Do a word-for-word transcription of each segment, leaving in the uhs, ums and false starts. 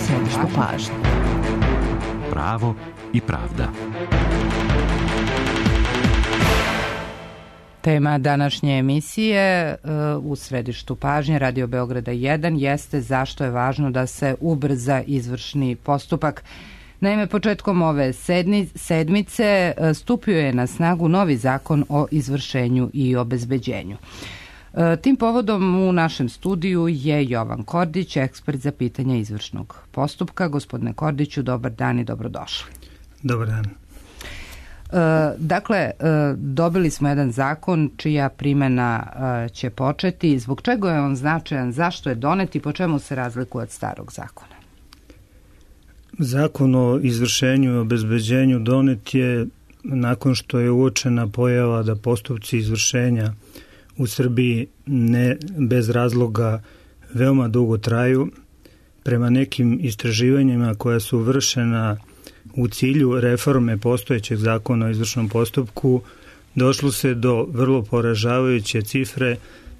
središtu pažnje. Pravo i pravda. Tema današnje emisije u središtu pažnje Radio Beograda jedan jeste zašto je važno da se ubrza izvršni postupak. Naime, početkom ove sedmice stupio je na snagu novi zakon o izvršenju i obezbeđenju. Tim povodom u našem studiju je Jovan Kordić, ekspert za pitanja izvršnog postupka. Gospodine Kordiću, dobar dan i dobrodošli. Dobar dan. Dakle, dobili smo jedan zakon čija primjena će početi. Zbog čega je on značajan, zašto je donet i po čemu se razlikuje od starog zakona? Zakon o izvršenju i obezbeđenju donet je nakon što je uočena pojava da postupci izvršenja u Srbiji ne bez razloga veoma dugo traju. Prema nekim istraživanjima koja su vršena u cilju reforme postojećeg zakona o izvršnom postupku, došlo se do vrlo poražavajuće cifre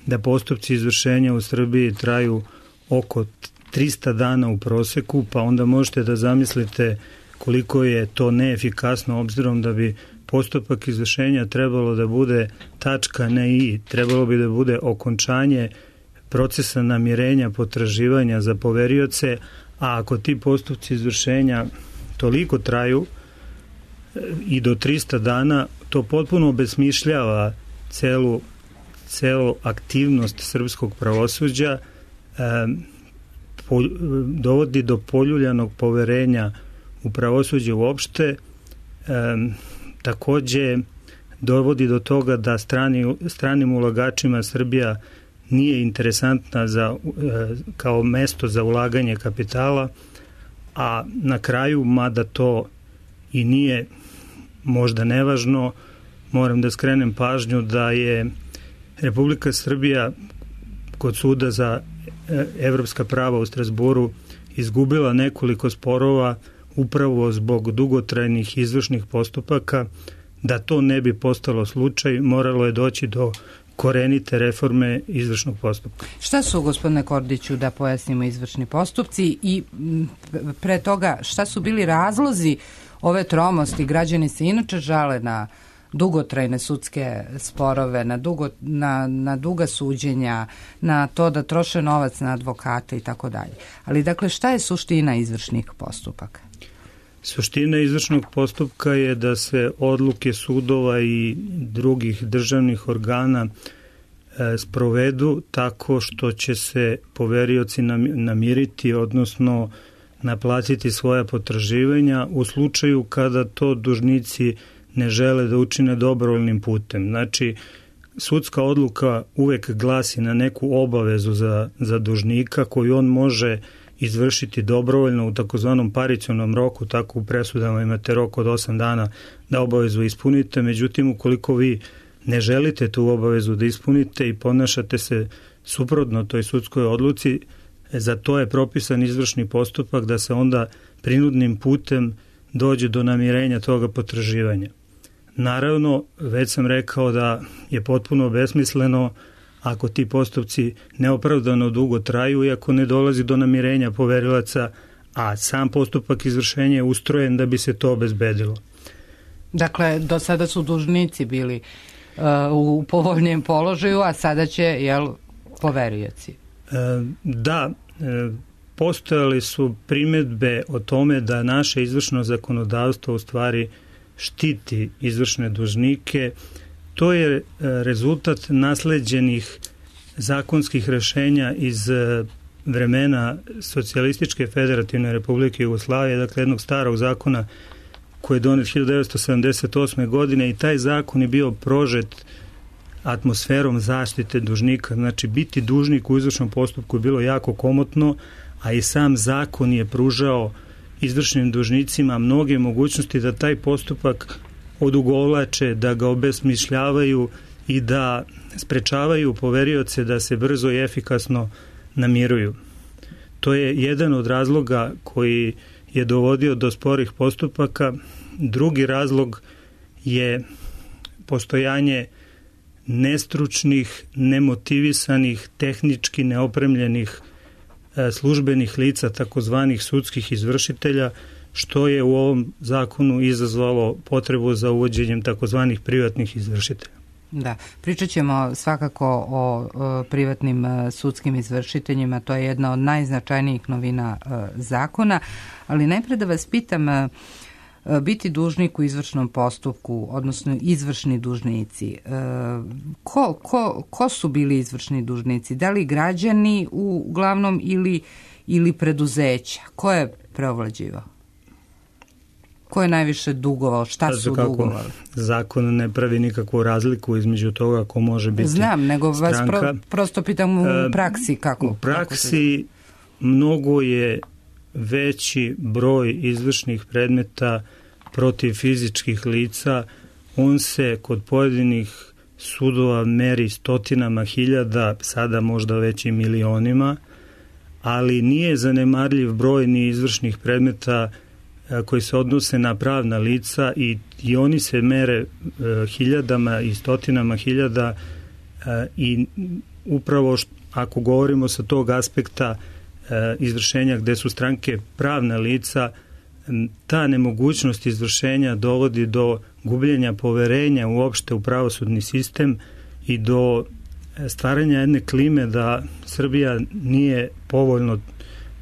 da postupci izvršenja u Srbiji traju oko trista dana u proseku, pa onda možete da zamislite koliko je to neefikasno, obzirom da bi postupak izvršenja trebalo da bude tačka, ne i, trebalo bi da bude okončanje procesa namirenja potraživanja za poverioce, a ako ti postupci izvršenja toliko traju i do trista dana, to potpuno obesmišljava celu, celu aktivnost srpskog pravosuđa, e, po, dovodi do poljuljanog poverenja u pravosuđe uopšte, e, takođe dovodi do toga da strani, stranim ulagačima Srbija nije interesantna za, e, kao mesto za ulaganje kapitala, a na kraju, mada to i nije možda nevažno, moram da skrenem pažnju da je Republika Srbija kod suda za evropska prava u Strazburu izgubila nekoliko sporova upravo zbog dugotrajnih izvršnih postupaka. Da to ne bi postalo slučaj, moralo je doći do korenite reforme izvršnog postupka. Šta su, gospodine Kordiću, da pojasnimo izvršni postupci i pre toga šta su bili razlozi ove tromosti? Građani se inače žale na dugotrajne sudske sporove, na, dugo, na, na duga suđenja, na to da troše novac na advokate i tako dalje. Ali dakle, šta je suština izvršnih postupaka? Suština izvršnog postupka je da se odluke sudova i drugih državnih organa e, sprovedu tako što će se poverioci namiriti, odnosno naplatiti svoja potraživanja u slučaju kada to dužnici ne žele da učine dobrovoljnim putem. Znači, sudska odluka uvek glasi na neku obavezu za, za dužnika koju on može izvršiti dobrovoljno u takozvanom paricionom roku, tako u presudama imate rok od osam dana da obavezu ispunite, međutim ukoliko vi ne želite tu obavezu da ispunite i ponašate se suprotno toj sudskoj odluci, za to je propisan izvršni postupak da se onda prinudnim putem dođe do namirenja toga potraživanja. Naravno, već sam rekao da je potpuno besmisleno ako ti postupci neopravdano dugo traju i ako ne dolazi do namirenja poverilaca, a sam postupak izvršenja je ustrojen da bi se to obezbedilo. Dakle, do sada su dužnici bili uh, u povoljnijem položaju, a sada će, jel, poverioci? E, da, e, postojali su primedbe o tome da naše izvršno zakonodavstvo u stvari štiti izvršne dužnike. To je rezultat nasleđenih zakonskih rešenja iz vremena Socijalističke federativne republike Jugoslavije, dakle jednog starog zakona koji je donet hiljadu devetsto sedamdeset osme. godine i taj zakon je bio prožet atmosferom zaštite dužnika. Znači, biti dužnik u izvršnom postupku je bilo jako komotno, a i sam zakon je pružao izvršnim dužnicima mnoge mogućnosti da taj postupak odugovlače, da ga obesmišljavaju i da sprečavaju poverioce da se brzo i efikasno namiruju. To je jedan od razloga koji je dovodio do sporih postupaka. Drugi razlog je postojanje nestručnih, nemotivisanih, tehnički neopremljenih službenih lica, takozvanih sudskih izvršitelja, što je u ovom zakonu izazvalo potrebu za uvođenjem takozvanih privatnih izvršitelja. Da, pričat ćemo svakako o, o privatnim a, sudskim izvršiteljima, to je jedna od najznačajnijih novina a, zakona, ali najpre da vas pitam, a, a, biti dužnik u izvršnom postupku, odnosno izvršni dužnici, a, ko, ko, ko su bili izvršni dužnici? Da li građani uglavnom ili, ili preduzeća? Ko je preovlađivao? Ko je najviše dugovao? Šta su kako dugovali? Zakon ne pravi nikakvu razliku između toga ko može biti Znam, nego vas stranka. pro, prosto pitam u praksi kako. U praksi kako mnogo je veći broj izvršnih predmeta protiv fizičkih lica. On se kod pojedinih sudova meri stotinama hiljada, sada možda već i milionima, ali nije zanemarljiv broj ni izvršnih predmeta koji se odnose na pravna lica i, i oni se mere e, hiljadama i stotinama hiljada e, i upravo št, ako govorimo sa tog aspekta e, izvršenja gde su stranke pravna lica, ta nemogućnost izvršenja dovodi do gubljenja poverenja uopšte u pravosudni sistem i do stvaranja jedne klime da Srbija nije povoljno,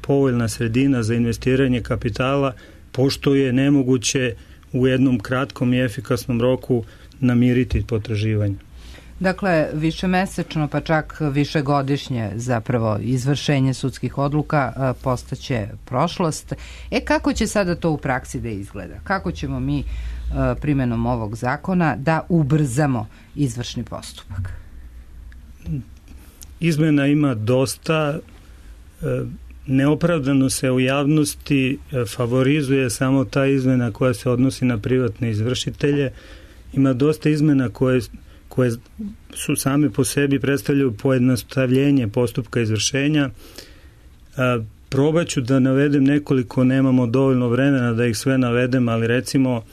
povoljna sredina za investiranje kapitala, pošto je nemoguće u jednom kratkom i efikasnom roku namiriti potraživanje. Dakle, višemesečno pa čak višegodišnje zapravo izvršenje sudskih odluka postaće prošlost. E kako će sada to u praksi da izgleda? Kako ćemo mi primjenom ovog zakona da ubrzamo izvršni postupak? Izmena ima dosta. Neopravdano se u javnosti favorizuje samo ta izmena koja se odnosi na privatne izvršitelje. Ima dosta izmena koje, koje su same po sebi predstavljaju pojednostavljenje postupka izvršenja. Probat ću da navedem nekoliko, nemamo dovoljno vremena da ih sve navedem, ali recimo...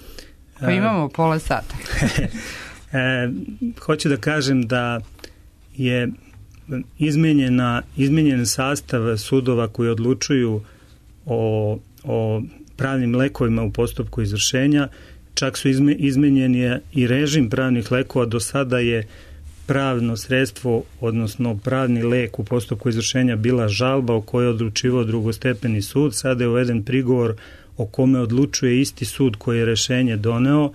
Pa imamo pola sata. Hoću da kažem da je izmenjena, izmenjen sastav sudova koji odlučuju o, o pravnim lekovima u postupku izvršenja. Čak su izme, izmenjen i režim pravnih lekova. Do sada je pravno sredstvo, odnosno pravni lek u postupku izvršenja bila žalba o kojoj je odlučivao drugostepeni sud. Sada je uveden prigovor o kome odlučuje isti sud koji je rešenje doneo.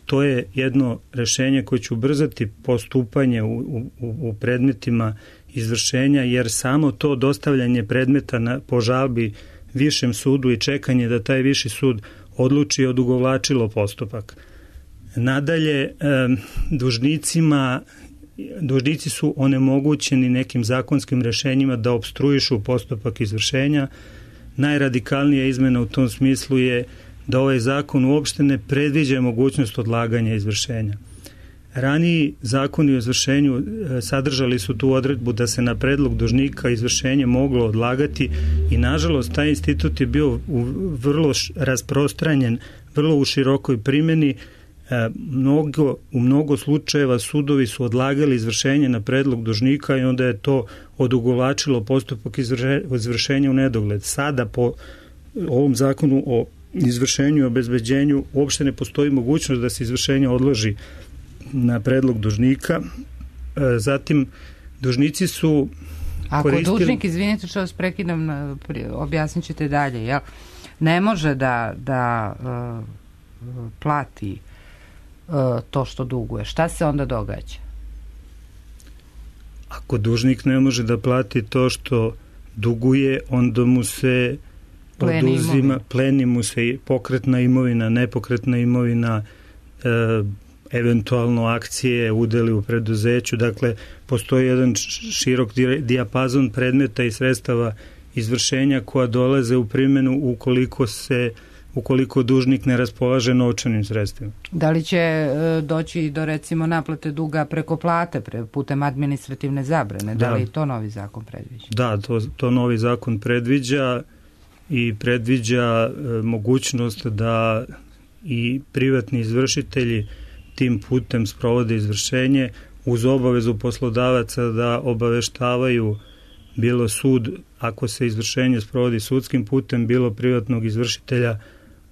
To je jedno rešenje koje će ubrzati postupanje u, u, u predmetima izvršenja, jer samo to dostavljanje predmeta na, po žalbi višem sudu i čekanje da taj viši sud odluči odugovlačilo postupak. Nadalje, e, dužnicima, dužnici su onemogućeni nekim zakonskim rešenjima da opstruišu postupak izvršenja. Najradikalnija izmena u tom smislu je da ovaj zakon uopšte ne predviđa mogućnost odlaganja izvršenja. Raniji zakoni o izvršenju sadržali su tu odredbu da se na predlog dužnika izvršenje moglo odlagati i nažalost taj institut je bio u vrlo rasprostranjen, vrlo u širokoj primjeni. Mnogo, u mnogo slučajeva sudovi su odlagali izvršenje na predlog dužnika i onda je to odugovlačilo postupak izvršenja u nedogled. Sada po ovom zakonu o izvršenju i obezbeđenju uopšte ne postoji mogućnost da se izvršenje odloži na predlog dužnika. Zatim, dužnici su Ako koristili... dužnik, izvinite što vas prekidam, objasnit ćete dalje, jel? Ne može da, da uh, plati uh, to što duguje. Šta se onda događa? Ako dužnik ne može da plati to što duguje, onda mu se pleni oduzima, imovina. pleni mu se pokretna imovina, nepokretna imovina, uh, eventualno akcije, udeli u preduzeću. Dakle, postoji jedan širok dijapazon predmeta i sredstava izvršenja koja dolaze u primjenu ukoliko se ukoliko dužnik ne raspolaže novčanim sredstvima. Da li će e, doći do recimo naplate duga preko plate pre, putem administrativne zabrane? Da, da li to novi zakon predviđa? Da, to, to novi zakon predviđa i predviđa e, mogućnost da i privatni izvršitelji tim putem sprovode izvršenje uz obavezu poslodavaca da obaveštavaju bilo sud, ako se izvršenje sprovodi sudskim putem, bilo privatnog izvršitelja,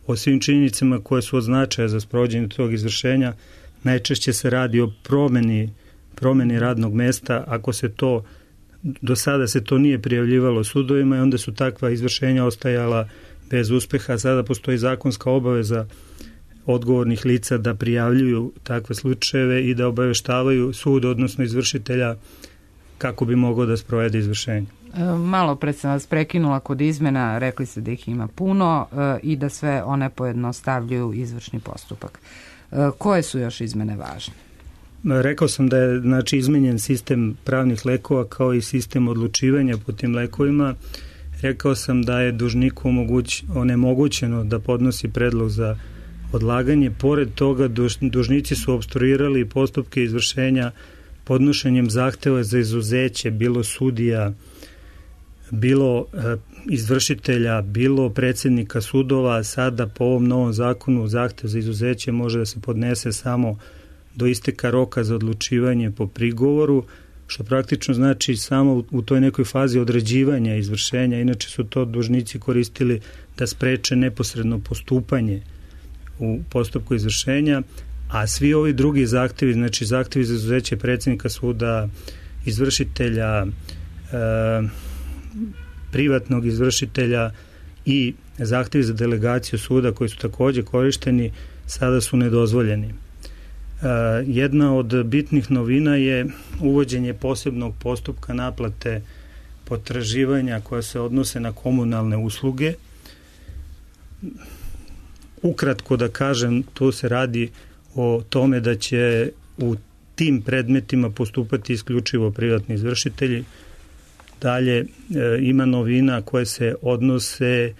o svim činjenicama koje su od značaja za sprovođenje tog izvršenja. Najčešće se radi o promeni, promeni radnog mesta. Ako se to, do sada se to nije prijavljivalo sudovima i onda su takva izvršenja ostajala bez uspeha. Sada postoji zakonska obaveza odgovornih lica da prijavljuju takve slučajeve i da obaveštavaju sud, odnosno izvršitelja, kako bi mogao da sprovede izvršenje. Malo pre sam vas prekinula kod izmena, rekli ste da ih ima puno i da sve one pojednostavljuju izvršni postupak. Koje su još izmene važne? Rekao sam da je znači, izmenjen sistem pravnih lekova kao i sistem odlučivanja po tim lekovima. Rekao sam da je dužniku omoguć, onemogućeno da podnosi predlog za odlaganje. Pored toga duž, dužnici su opstruirali postupke izvršenja podnošenjem zahteva za izuzeće, bilo sudija, bilo e, izvršitelja, bilo predsjednika sudova. Sada po ovom novom zakonu zahtev za izuzeće može da se podnese samo do isteka roka za odlučivanje po prigovoru, što praktično znači samo u, u toj nekoj fazi određivanja izvršenja. Inače su to dužnici koristili da spreče neposredno postupanje u postupku izvršenja, a svi ovi drugi zahtevi, znači zahtevi za izuzeće predsjednika suda, izvršitelja, e, privatnog izvršitelja i zahtevi za delegaciju suda koji su također korišteni, sada su nedozvoljeni. E, jedna od bitnih novina je uvođenje posebnog postupka naplate potraživanja koja se odnose na komunalne usluge. Ukratko da kažem, tu se radi o tome da će u tim predmetima postupati isključivo privatni izvršitelji. Dalje e, ima novina koje se odnose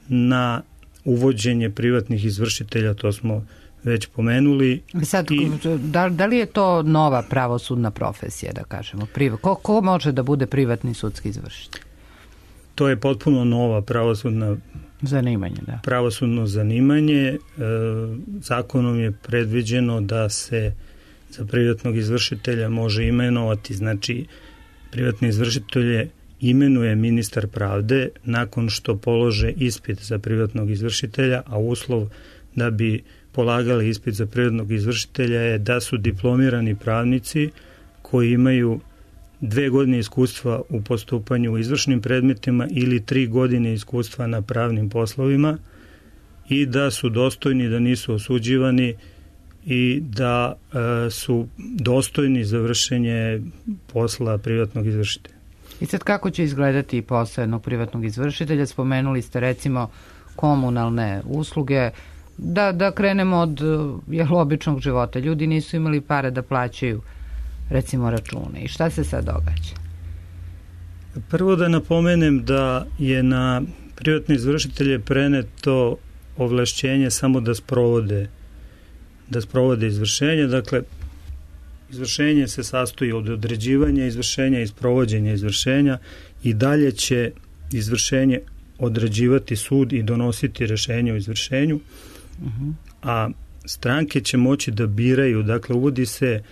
na uvođenje privatnih izvršitelja, to smo već pomenuli. Sad, I, da, da li je to nova pravosudna profesija, da kažemo? Priva, ko, ko može da bude privatni sudski izvršitelj? To je potpuno nova pravosudna zanimanje, da. Pravosudno zanimanje. E, zakonom je predviđeno da se za privatnog izvršitelja može imenovati, znači privatni izvršitelje imenuje ministar pravde nakon što polože ispit za privatnog izvršitelja, a uslov da bi polagali ispit za privatnog izvršitelja je da su diplomirani pravnici koji imaju dve godine iskustva u postupanju u izvršnim predmetima ili tri godine iskustva na pravnim poslovima i da su dostojni, da nisu osuđivani i da e, su dostojni za vršenje posla privatnog izvršitelja. I sad kako će izgledati posao jednog privatnog izvršitelja? Spomenuli ste recimo komunalne usluge. Da, da krenemo od jel, običnog života. Ljudi nisu imali pare da plaćaju recimo račune. I šta se sad događa? Prvo da napomenem da je na privatne izvršitelje preneto ovlašćenje samo da sprovode da sprovode izvršenje. Dakle, izvršenje se sastoji od određivanja izvršenja i sprovođenja izvršenja i dalje će izvršenje određivati sud i donositi rešenje o izvršenju, uh-huh. a stranke će moći da biraju, dakle uvodi se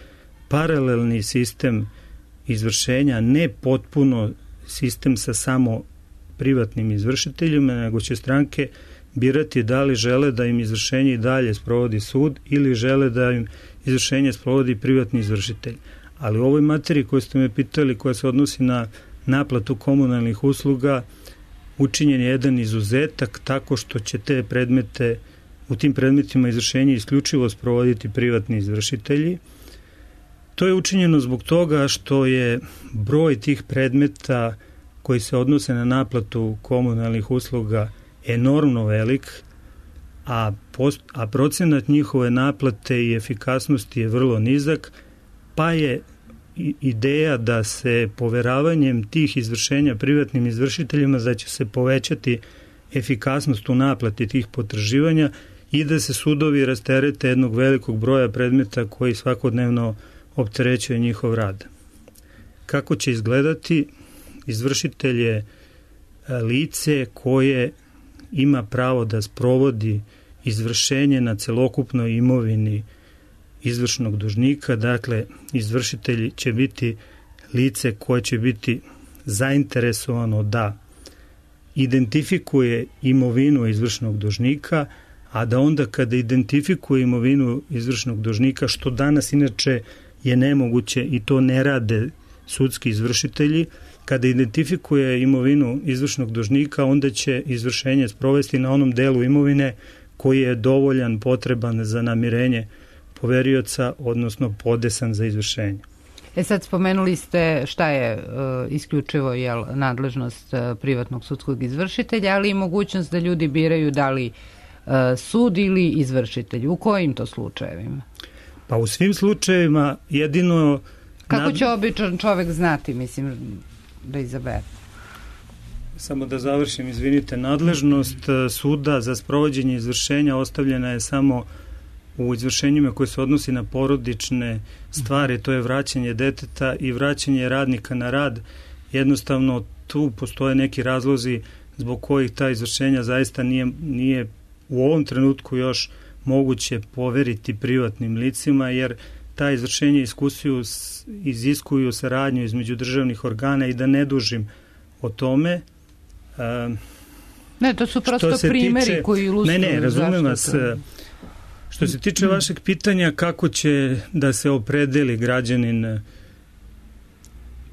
paralelni sistem izvršenja, ne potpuno sistem sa samo privatnim izvršiteljima, nego će stranke birati da li žele da im izvršenje i dalje sprovodi sud ili žele da im izvršenje sprovodi privatni izvršitelj. Ali u ovoj materiji koju ste me pitali, koja se odnosi na naplatu komunalnih usluga, učinjen je jedan izuzetak tako što će te predmete, u tim predmetima izvršenje isključivo sprovoditi privatni izvršitelji. To je učinjeno zbog toga što je broj tih predmeta koji se odnose na naplatu komunalnih usluga enormno velik, a, post, a procenat njihove naplate i efikasnosti je vrlo nizak, pa je ideja da se poveravanjem tih izvršenja privatnim izvršiteljima da će se povećati efikasnost u naplati tih potraživanja i da se sudovi rasterete jednog velikog broja predmeta koji svakodnevno opterećuje njihov rad. Kako će izgledati? Izvršitelj je lice koje ima pravo da sprovodi izvršenje na celokupnoj imovini izvršnog dužnika. Dakle, izvršitelj će biti lice koje će biti zainteresovano da identifikuje imovinu izvršnog dužnika, a da onda kada identifikuje imovinu izvršnog dužnika, što danas inače je nemoguće i to ne rade sudski izvršitelji, kada identifikuje imovinu izvršnog dužnika, onda će izvršenje sprovesti na onom delu imovine koji je dovoljan, potreban za namirenje poverioca, odnosno podesan za izvršenje. E sad spomenuli ste šta je e, isključivo jel, nadležnost e, privatnog sudskog izvršitelja, ali i mogućnost da ljudi biraju da li e, sud ili izvršitelj. U kojim to slučajevima? Pa u svim slučajevima jedino... Kako nad... će običan čovek znati, mislim, da izabere? Samo da završim, izvinite, nadležnost suda za sprovođenje izvršenja ostavljena je samo u izvršenjima koje se odnosi na porodične stvari, to je vraćanje deteta i vraćanje radnika na rad. Jednostavno tu postoje neki razlozi zbog kojih ta izvršenja zaista nije, nije u ovom trenutku još moguće poveriti privatnim licima, jer ta izvršenja iskusuju, iziskuju saradnju između državnih organa i da ne dužim o tome. Um, ne, to su prosto primjeri tiče, koji ilustruju. Ne, ne, razumem vas. Što se tiče vašeg pitanja kako će da se opredeli građanin,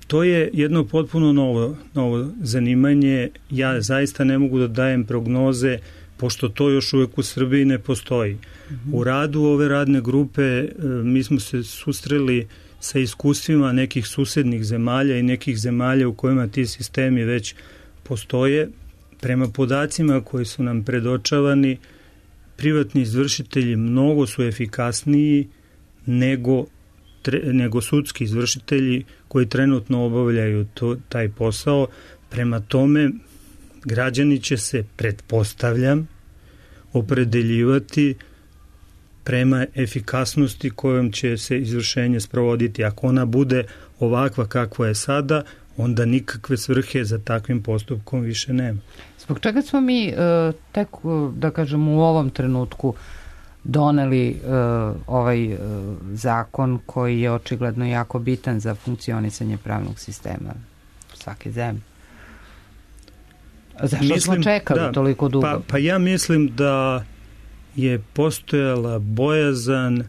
to je jedno potpuno novo, novo zanimanje. Ja zaista ne mogu da dajem prognoze, pošto to još uvek u Srbiji ne postoji. Mm-hmm. U radu ove radne grupe mi smo se susreli sa iskustvima nekih susednih zemalja i nekih zemalja u kojima ti sistemi već postoje. Prema podacima koji su nam predočavani, privatni izvršitelji mnogo su efikasniji nego, tre, nego sudski izvršitelji koji trenutno obavljaju to, taj posao. Prema tome, građani će se, pretpostavljam, opredeljivati prema efikasnosti kojom će se izvršenje sprovoditi. Ako ona bude ovakva kakva je sada, onda nikakve svrhe za takvim postupkom više nema. Zbog čega smo mi uh, tek, da kažem, u ovom trenutku doneli uh, ovaj uh, zakon koji je očigledno jako bitan za funkcionisanje pravnog sistema svake zemlje? Zašto mislim, smo čekali da, toliko dugo? Pa, pa ja mislim da je postojala bojazan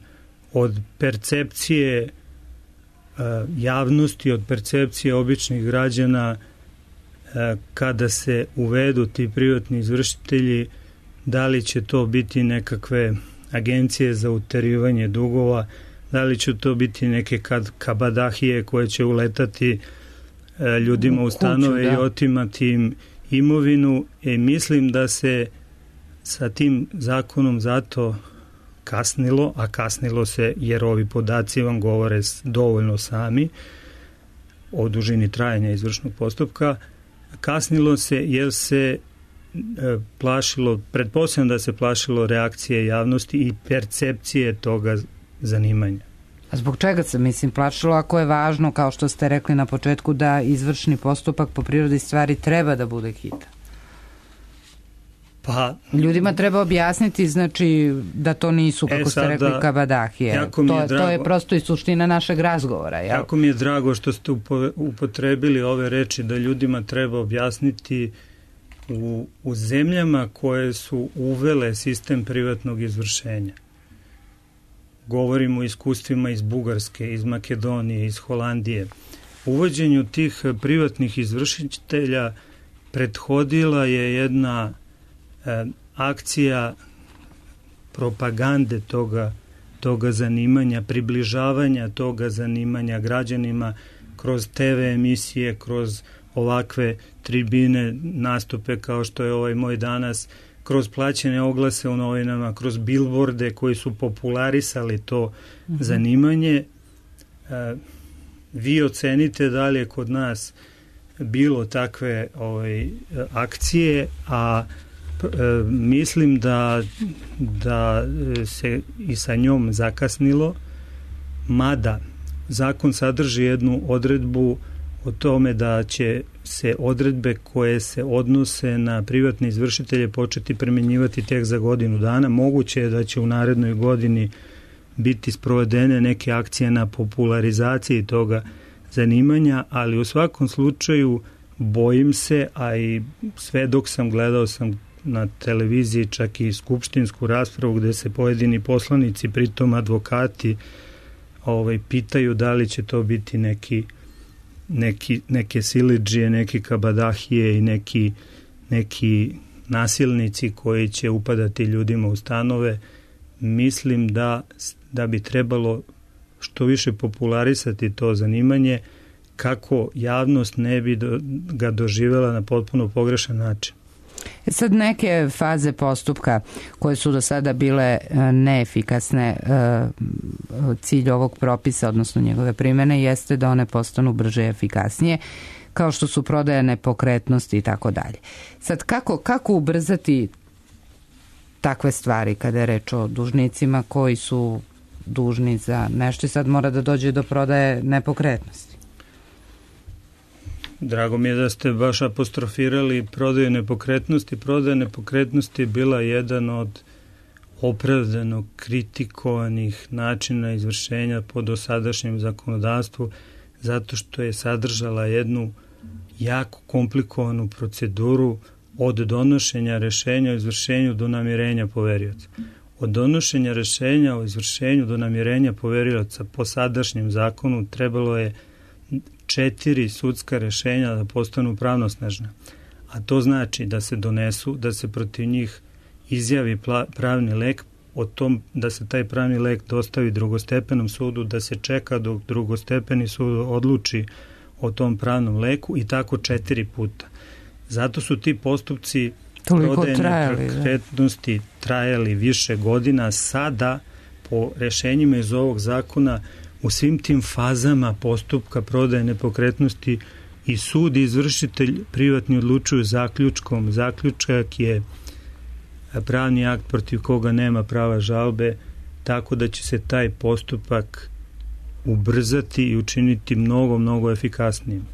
od percepcije uh, javnosti, od percepcije običnih građana uh, kada se uvedu ti privatni izvršitelji, da li će to biti nekakve agencije za uterivanje dugova, da li će to biti neke kad, kabadahije koje će uletati uh, ljudima u, u stanove kuću, da. I otimati im imovinu. E, mislim da se sa tim zakonom zato kasnilo, a kasnilo se jer ovi podaci vam govore dovoljno sami o dužini trajanja izvršnog postupka, kasnilo se jer se e, plašilo, pretpostavljam da se plašilo reakcije javnosti i percepcije toga zanimanja. A zbog čega se, mislim, plašilo ako je važno, kao što ste rekli na početku, da izvršni postupak po prirodi stvari treba da bude hitan? Pa, ljudima treba objasniti, znači, da to nisu, kako e, ste rekli, kabadahije. To, drago, to je prosto i suština našeg razgovora. Jel? Jako mi je drago što ste upotrebili ove reči, da ljudima treba objasniti u, u zemljama koje su uvele sistem privatnog izvršenja. Govorimo o iskustvima iz Bugarske, iz Makedonije, iz Holandije. Uvođenju tih privatnih izvršitelja prethodila je jedna e, akcija propagande toga, toga zanimanja, približavanja toga zanimanja građanima kroz te ve emisije, kroz ovakve tribine, nastupe kao što je ovaj moj danas, kroz plaćene oglase u novinama, kroz bilborde koji su popularisali to mm-hmm. zanimanje. E, vi ocenite da li je kod nas bilo takve ovaj, akcije, a e, mislim da, da se i sa njom zakasnilo, mada zakon sadrži jednu odredbu o tome da će se odredbe koje se odnose na privatne izvršitelje početi primenjivati tek za godinu dana. Moguće je da će u narednoj godini biti sprovedene neke akcije na popularizaciji toga zanimanja, ali u svakom slučaju bojim se, a i sve dok sam gledao sam na televiziji čak i skupštinsku raspravu gde se pojedini poslanici, pritom advokati, ovaj, pitaju da li će to biti neki, neki, neke silidžije, neki kabadahije i neki, neki nasilnici koji će upadati ljudima u stanove. Mislim da, da bi trebalo što više popularisati to zanimanje kako javnost ne bi do, ga doživjela na potpuno pogrešan način. Sad neke faze postupka koje su do sada bile neefikasne, cilj ovog propisa, odnosno njegove primene, jeste da one postanu brže i efikasnije, kao što su prodaja nepokretnosti i tako dalje. Sad, kako, kako ubrzati takve stvari kada je reč o dužnicima koji su dužni za nešto i sad mora da dođe do prodaje nepokretnosti? Drago mi je da ste baš apostrofirali prodaju nepokretnosti. Prodaja nepokretnosti je bila jedan od opravdano kritikovanih načina izvršenja po dosadašnjem zakonodavstvu zato što je sadržala jednu jako komplikovanu proceduru od donošenja rešenja o izvršenju do namirenja poverioca. Od donošenja rešenja o izvršenju do namirenja poverioca po sadašnjem zakonu trebalo je četiri sudska rešenja da postanu pravnosnažna. A to znači da se donesu, da se protiv njih izjavi pravni lek, o tom da se taj pravni lek dostavi drugostepenom sudu, da se čeka dok drugostepeni sud odluči o tom pravnom leku i tako četiri puta. Zato su ti postupci prodaje nepokretnosti trajali više godina. Sada po rešenjima iz ovog zakona u svim tim fazama postupka prodaje nepokretnosti i sud i izvršitelj privatni odlučuju zaključkom. Zaključak je pravni akt protiv koga nema prava žalbe, tako da će se taj postupak ubrzati i učiniti mnogo, mnogo efikasnijim.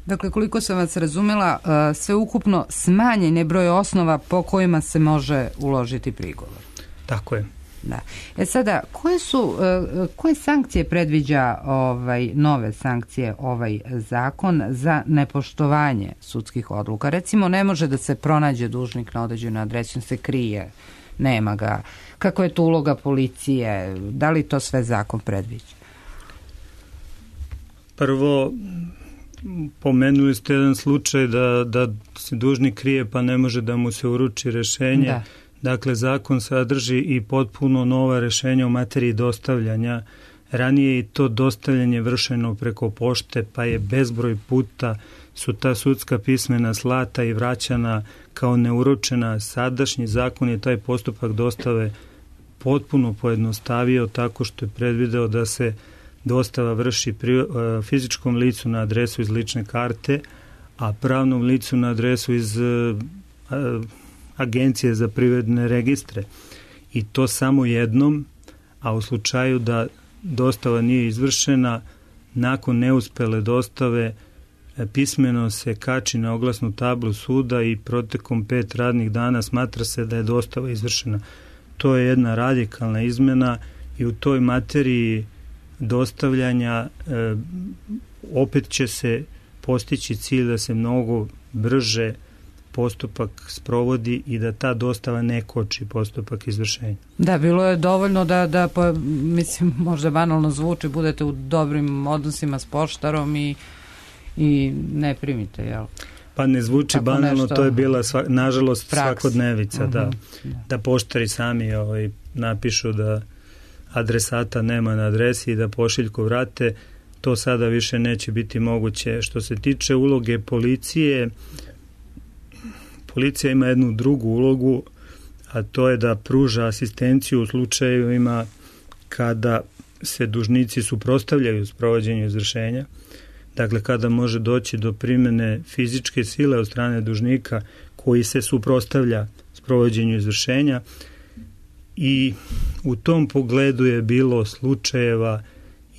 Dakle, koliko sam vas razumela, sve ukupno smanjen je broj osnova po kojima se može uložiti prigovor. Tako je. Da. E sada, koje su, koje sankcije predviđa ovaj, nove sankcije ovaj zakon za nepoštovanje sudskih odluka? Recimo, ne može da se pronađe dužnik na određenoj adresi, se krije, nema ga. Kako je to uloga policije? Da li to sve zakon predviđa? Prvo, pomenuli ste jedan slučaj da, da se dužnik krije pa ne može da mu se uruči rešenje. Da. Dakle, zakon sadrži i potpuno nova rešenja u materiji dostavljanja. Ranije i to dostavljanje vršeno preko pošte, pa je bezbroj puta su ta sudska pismena slata i vraćana kao neuručena. Sadašnji zakon je taj postupak dostave potpuno pojednostavio tako što je predvideo da se dostava vrši pri, fizičkom licu na adresu iz lične karte, a pravnom licu na adresu iz a, Agencije za privredne registre. I to samo jednom, a u slučaju da dostava nije izvršena, nakon neuspele dostave pismeno se kači na oglasnu tablu suda i protekom pet radnih dana smatra se da je dostava izvršena. To je jedna radikalna izmena i u toj materiji dostavljanja e, opet će se postići cilj da se mnogo brže postupak sprovodi i da ta dostava ne koči postupak izvršenja. Da, bilo je dovoljno da, da pa, mislim, možda banalno zvuči, budete u dobrim odnosima s poštarom i, i ne primite, jel? Pa ne zvuči tako banalno, nešto, to je bila sva, nažalost praks. Svakodnevica, uh-huh. da, da poštari sami ovaj, napišu da adresata nema na adresi i da pošiljku vrate. To sada više neće biti moguće. Što se tiče uloge policije, policija ima jednu drugu ulogu, a to je da pruža asistenciju u slučajevima kada se dužnici suprotstavljaju sprovođenju izvršenja. Dakle, kada može doći do primene fizičke sile od strane dužnika koji se suprotstavlja sprovođenju izvršenja, i u tom pogledu je bilo slučajeva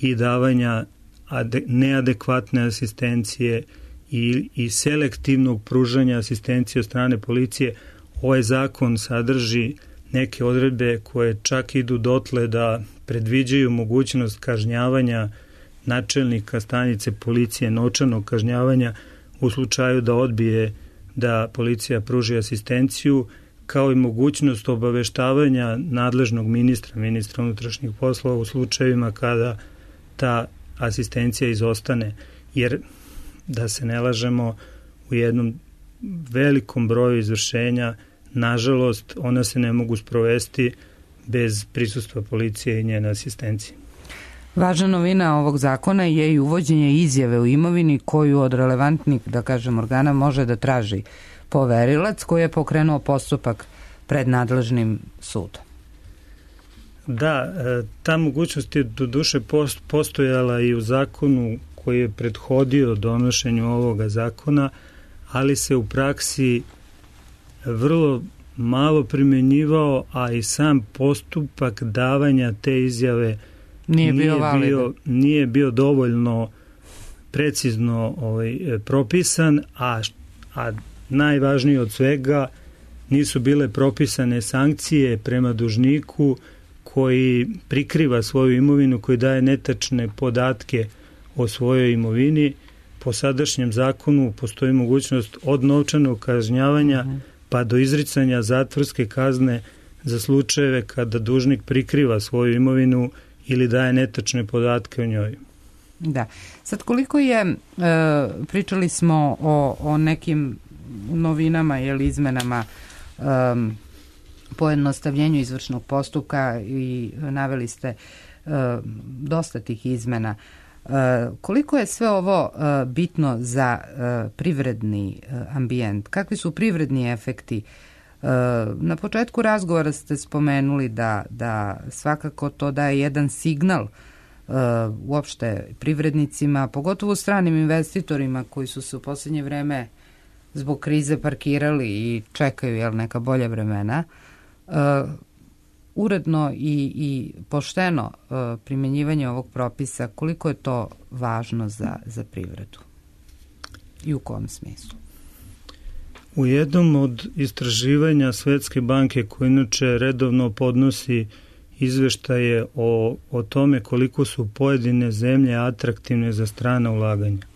i davanja ade, neadekvatne asistencije i, i selektivnog pružanja asistencije od strane policije. Ovaj zakon sadrži neke odredbe koje čak idu dotle da predviđaju mogućnost kažnjavanja načelnika stanice policije, novčanog kažnjavanja u slučaju da odbije da policija pruži asistenciju, kao i mogućnost obaveštavanja nadležnog ministra, ministra unutrašnjih poslova u slučajevima kada ta asistencija izostane. Jer, da se ne lažemo, u jednom velikom broju izvršenja, nažalost, ona se ne mogu sprovesti bez prisustva policije i njene asistencije. Važna novina ovog zakona je i uvođenje izjave u imovini koju od relevantnih, da kažem, organa može da traži poverilac koji je pokrenuo postupak pred nadležnim sudom. Da, ta mogućnost je do duše postojala i u zakonu koji je prethodio donošenju ovoga zakona, ali se u praksi vrlo malo primenjivao, a i sam postupak davanja te izjave nije bio, nije bio, nije bio dovoljno precizno ovaj, propisan, a, a najvažnije od svega, nisu bile propisane sankcije prema dužniku koji prikriva svoju imovinu, koji daje netačne podatke o svojoj imovini. Po sadašnjem zakonu postoji mogućnost od novčanog kažnjavanja uh-huh. pa do izricanja zatvorske kazne za slučajeve kada dužnik prikriva svoju imovinu ili daje netačne podatke o njoj. Da. Sad koliko je, e, pričali smo o, o nekim novinama ili izmenama e, pojednostavljenju izvršnog postupka i naveli ste e, dosta tih izmena. E, koliko je sve ovo e, bitno za e, privredni e, ambijent? Kakvi su privredni efekti? E, na početku razgovora ste spomenuli da, da svakako to daje jedan signal e, uopšte privrednicima, pogotovo stranim investitorima koji su se u posljednje vreme zbog krize parkirali i čekaju jel, neka bolja vremena. Uh, uredno i, i pošteno uh, primjenjivanje ovog propisa, koliko je to važno za, za privredu i u kom smislu? U jednom od istraživanja Svetske banke, koja inače redovno podnosi izveštaje o, o tome koliko su pojedine zemlje atraktivne za strana ulaganja,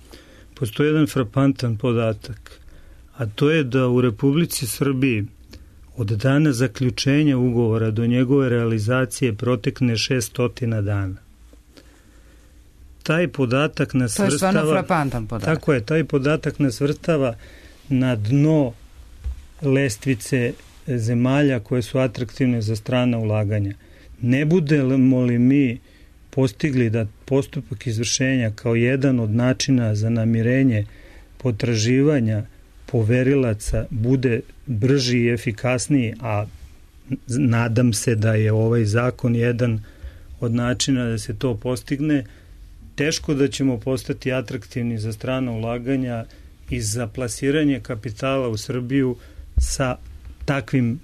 postoji jedan frapantan podatak, a to je da u Republici Srbiji od dana zaključenja ugovora do njegove realizacije protekne šessto dana. Taj podatak nas to je svrstava... stvarno frapantan podatak. Tako je, taj podatak nas svrstava na dno lestvice zemalja koje su atraktivne za strana ulaganja. Ne budemo li mi postigli da postupak izvršenja kao jedan od načina za namirenje potraživanja poverilaca bude brži i efikasniji, a nadam se da je ovaj zakon jedan od načina da se to postigne, teško da ćemo postati atraktivni za strana ulaganja i za plasiranje kapitala u Srbiju sa takvim,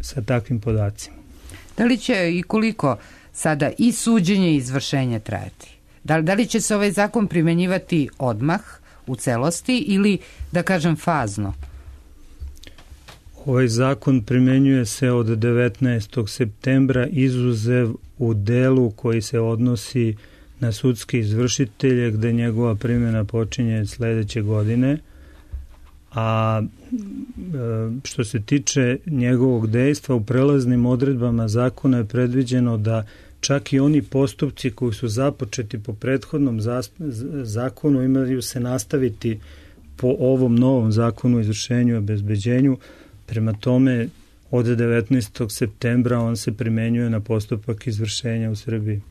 sa takvim podacima. Da li će i koliko sada i suđenje i izvršenje trajati? Da, da li će se ovaj zakon primenjivati odmah u celosti ili, da kažem, fazno? Ovaj zakon primenjuje se od devetnaestog septembra, izuzev u delu koji se odnosi na sudske izvršitelje, gde njegova primjena počinje sledeće godine, a što se tiče njegovog dejstva, u prelaznim odredbama zakona je predviđeno da čak i oni postupci koji su započeti po prethodnom zakonu imaju se nastaviti po ovom novom zakonu o izvršenju i obezbeđenju. Prema tome, od devetnaestog septembra on se primenjuje na postupak izvršenja u Srbiji.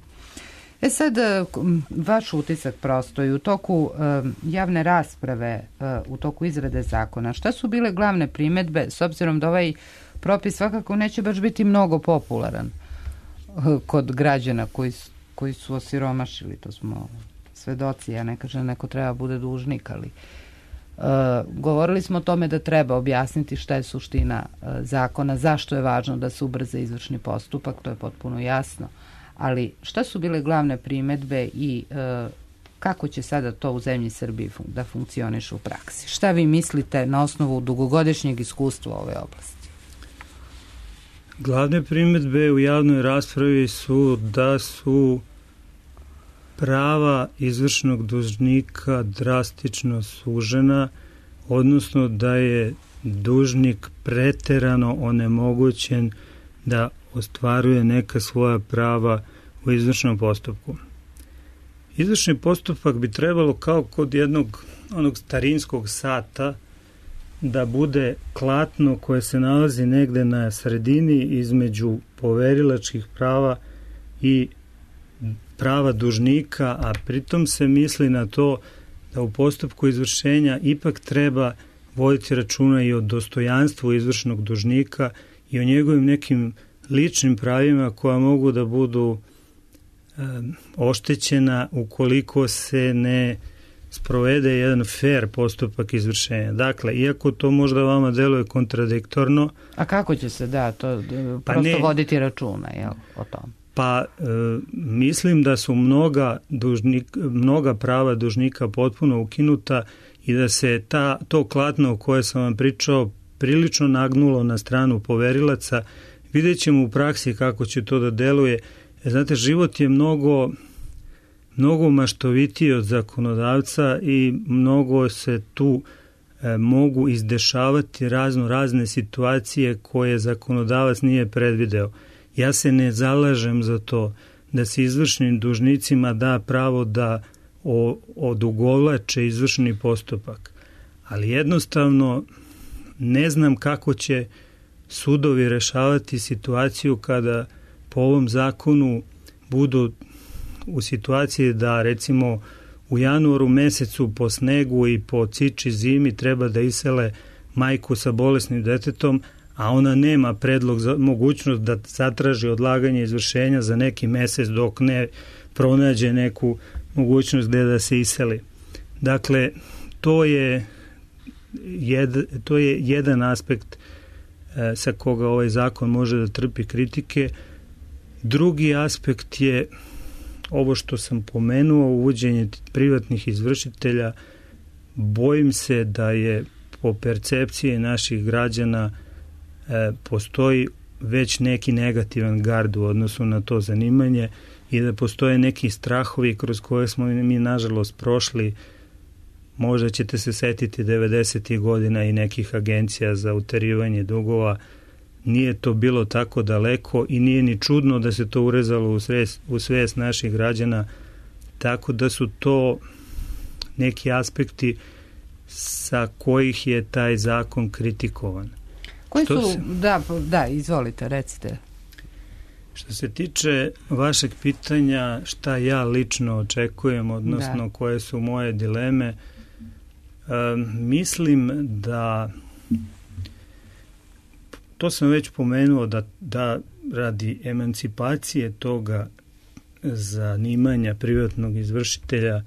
E sad, vaš utisak prosto i u toku javne rasprave, u toku izrade zakona, šta su bile glavne primedbe, s obzirom da ovaj propis svakako neće baš biti mnogo popularan kod građana koji, koji su osiromašili, to smo svedoci, ja ne kažem neko treba bude dužnik, ali uh, govorili smo o tome da treba objasniti šta je suština uh, zakona, zašto je važno da se ubrza izvršni postupak, to je potpuno jasno, ali šta su bile glavne primedbe i uh, kako će sada to u zemlji Srbiji fun- da funkcioniše u praksi? Šta vi mislite na osnovu dugogodišnjeg iskustva u ove oblasti? Glavne primedbe u javnoj raspravi su da su prava izvršnog dužnika drastično sužena, odnosno da je dužnik preterano onemogućen da ostvaruje neka svoja prava u izvršnom postupku. Izvršni postupak bi trebalo kao kod jednog onog starinskog sata da bude klatno koje se nalazi negde na sredini između poverilačkih prava i prava dužnika, a pritom se misli na to da u postupku izvršenja ipak treba voditi računa i o dostojanstvu izvršnog dužnika i o njegovim nekim ličnim pravima koja mogu da budu e, oštećena ukoliko se ne sprovede jedan fair postupak izvršenja. Dakle, iako to možda vama deluje kontradiktorno... A kako će se, da, to pa prosto ne, voditi računa, jel, o tom? Pa e, mislim da su mnoga, dužnik, mnoga prava dužnika potpuno ukinuta i da se ta, to klatno o koje sam vam pričao prilično nagnulo na stranu poverilaca. Vidjet ćemo u praksi kako će to da deluje. Znate, život je mnogo, mnogo maštovitiji od zakonodavca i mnogo se tu e, mogu izdešavati razno razne situacije koje zakonodavac nije predvideo. Ja se ne zalažem za to da se izvršnim dužnicima da pravo da odugovlače izvršni postupak, ali jednostavno ne znam kako će sudovi rešavati situaciju kada po ovom zakonu budu u situaciji da recimo u januaru mesecu po snegu i po ciči zimi treba da isele majku sa bolesnim detetom, a ona nema predlog za mogućnost da zatraži odlaganje izvršenja za neki mesec dok ne pronađe neku mogućnost gde da se iseli. Dakle, to je, jed, to je jedan aspekt e, sa koga ovaj zakon može da trpi kritike. Drugi aspekt je ovo što sam pomenuo, uvođenje privatnih izvršitelja. Bojim se da je po percepciji naših građana e, postoji već neki negativan gard u odnosu na to zanimanje i da postoje neki strahovi kroz koje smo mi nažalost prošli. Možda ćete se setiti devedesetih godina i nekih agencija za uterivanje dugova. Nije to bilo tako daleko i nije ni čudno da se to urezalo u svest, u svest naših građana, tako da su to neki aspekti sa kojih je taj zakon kritikovan. Koji su, se, da, da, izvolite, recite. Što se tiče vašeg pitanja šta ja lično očekujem, odnosno da. Koje su moje dileme, um, mislim da to sam već pomenuo da, da radi emancipacije toga zanimanja privatnog izvršitelja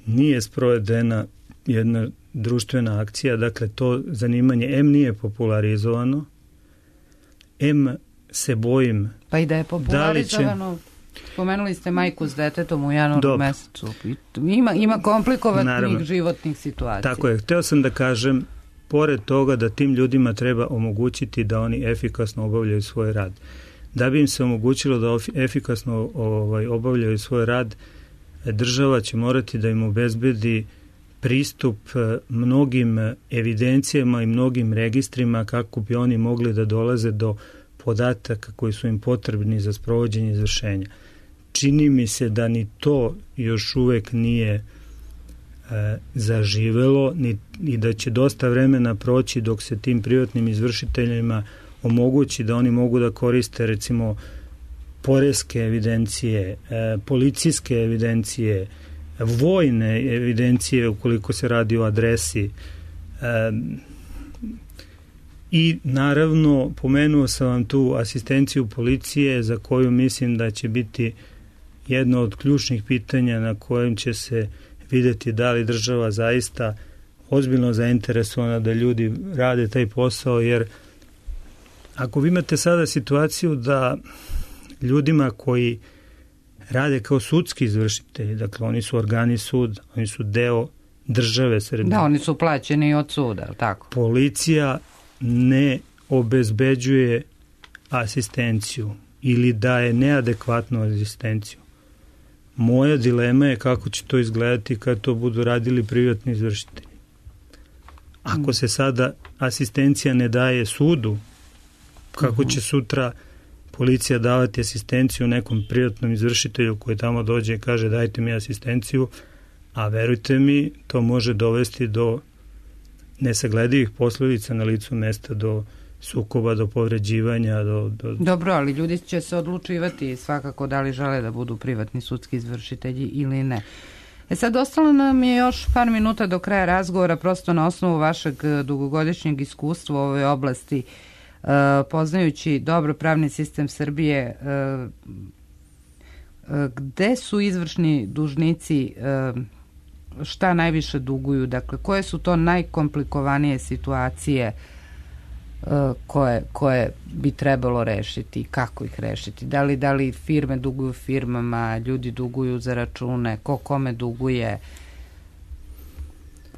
nije sprovedena jedna društvena akcija, dakle to zanimanje em nije popularizovano, em se bojim. Pa i da je popularizovano, će... spomenuli ste majku s detetom u januaru Dobre. mesecu. Ima, ima komplikovanih životnih situacija. Tako je, hteo sam da kažem, pored toga da tim ljudima treba omogućiti da oni efikasno obavljaju svoj rad. Da bi im se omogućilo da efikasno ovaj, obavljaju svoj rad, država će morati da im obezbedi pristup mnogim evidencijama i mnogim registrima kako bi oni mogli da dolaze do podataka koji su im potrebni za sprovođenje izvršenja. Čini mi se da ni to još uvek nije e, zaživelo ni, i da će dosta vremena proći dok se tim privatnim izvršiteljima omogući da oni mogu da koriste recimo poreske evidencije, e, policijske evidencije, vojne evidencije ukoliko se radi o adresi. E, I naravno pomenuo sam vam tu asistenciju policije za koju mislim da će biti jedno od ključnih pitanja na kojem će se videti da li država zaista ozbiljno zainteresovana da ljudi rade taj posao, jer ako vi imate sada situaciju da ljudima koji rade kao sudski izvršitelji, dakle oni su organi suda, oni su deo države Srbije. Da, oni su plaćeni od suda, tako. Policija ne obezbeđuje asistenciju ili daje neadekvatnu asistenciju. Moja dilema je kako će to izgledati kad to budu radili privatni izvršitelji. Ako se sada asistencija ne daje sudu, kako će sutra policija davati asistenciju nekom privatnom izvršitelju koji tamo dođe i kaže dajte mi asistenciju, a verujte mi, to može dovesti do nesagledivih posledica na licu mesta, do sukoba, do povređivanja. Do, do... Dobro, ali ljudi će se odlučivati svakako da li žele da budu privatni sudski izvršitelji ili ne. E sad, ostalo nam je još par minuta do kraja razgovora, prosto na osnovu vašeg dugogodišnjeg iskustva u ovoj oblasti, uh, poznajući dobro pravni sistem Srbije, uh, uh, gde su izvršni dužnici, uh, šta najviše duguju, dakle, koje su to najkomplikovanije situacije koje, koje bi trebalo rešiti, kako ih rešiti, da li, da li firme duguju firmama, ljudi duguju za račune, ko kome duguje,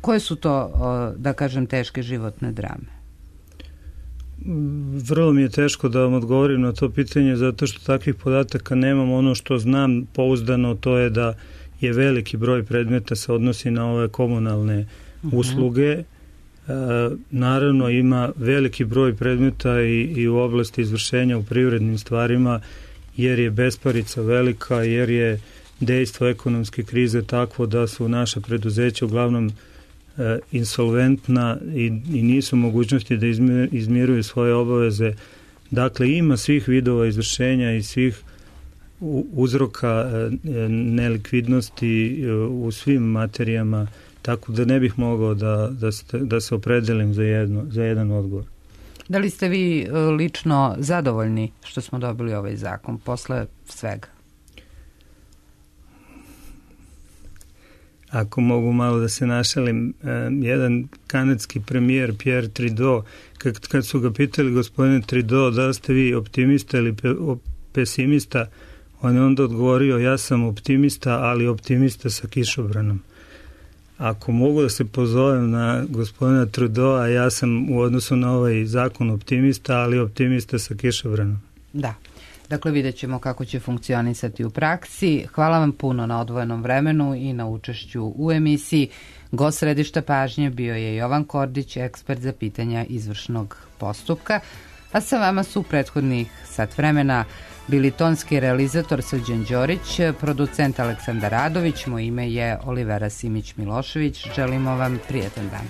koje su to, da kažem, teške životne drame? Vrlo mi je teško da vam odgovorim na to pitanje, zato što takvih podataka nemam. Ono što znam pouzdano, to je da je veliki broj predmeta se odnosi na ove komunalne uh-huh. usluge. E, naravno ima veliki broj predmeta i, i u oblasti izvršenja u privrednim stvarima, jer je besparica velika, jer je dejstvo ekonomske krize takvo da su naša preduzeća uglavnom e, insolventna i, i nisu mogućnosti da izmir, izmiruju svoje obaveze. Dakle, ima svih vidova izvršenja i svih uzroka e, nelikvidnosti e, u svim materijama, tako da ne bih mogao da, da, ste, da se opredelim za, jedno, za jedan odgovor. Da li ste vi lično zadovoljni što smo dobili ovaj zakon posle svega? Ako mogu malo da se našalim, jedan kanadski premijer Pierre Trudeau, kad, kad su ga pitali gospodine Trudeau da li ste vi optimista ili pe, pesimista, on je onda odgovorio ja sam optimista, ali optimista sa kišobranom. Ako mogu da se pozovem na gospodina Trudeau, ja sam u odnosu na ovaj zakon optimista, ali optimista sa kišobranom. Da. Dakle, vidjet ćemo kako će funkcionisati u praksi. Hvala vam puno na odvojenom vremenu i na učešću u emisiji. Gost središta pažnje bio je Jovan Kordić, ekspert za pitanja izvršnog postupka, a sa vama su prethodnih sat vremena bili tonski realizator Srđan Đorić, producent Aleksandar Radović, moje ime je Olivera Simić-Milošević. Želimo vam prijetan dan.